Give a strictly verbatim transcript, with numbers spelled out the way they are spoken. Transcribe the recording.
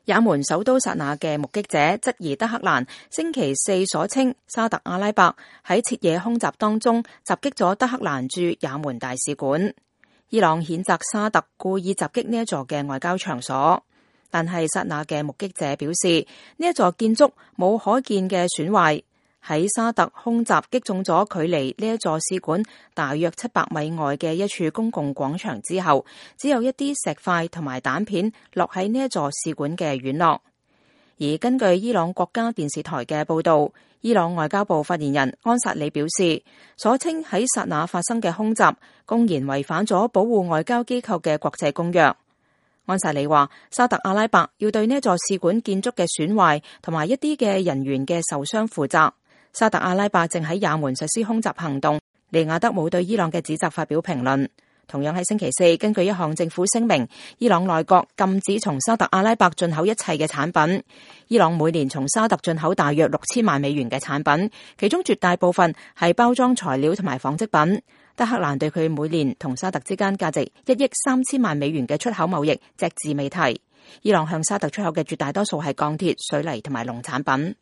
也門首都薩那嘅目擊者質疑德黑蘭星期四所稱沙特阿拉伯喺徹夜空襲當中襲擊咗德黑蘭駐也門大使館。伊朗譴責沙特故意襲擊呢一座嘅外交場所，但係薩那嘅目擊者表示，呢一座建築冇可見嘅損壞。喺沙特空襲擊中咗距離呢一座使館大約七百米外嘅一處公共廣場之後，只有一啲石塊同埋彈片落喺呢一座使館嘅院落。而根據伊朗國家電視台嘅報導，伊朗外交部發言人安薩里表示，所稱喺薩那發生嘅空襲公然違反咗保護外交機構嘅國際公約。安薩里話，沙特阿拉伯要對呢一座使館建築嘅損壞同埋一啲嘅人員嘅受傷負責。沙特阿拉伯正喺也門實施空襲行動，利雅得冇對伊朗嘅指責發表評論。同樣喺星期四，根據一項政府聲明，伊朗內閣禁止從沙特阿拉伯進口一切嘅產品。伊朗每年從沙特進口大約六千萬美元嘅產品，其中絕大部分係包裝材料同埋紡織品。德黑蘭對佢每年同沙特之間價值一億三千萬美元嘅出口貿易隻字未提。伊朗向沙特出口嘅絕大多數係鋼鐵、水泥同埋農產品。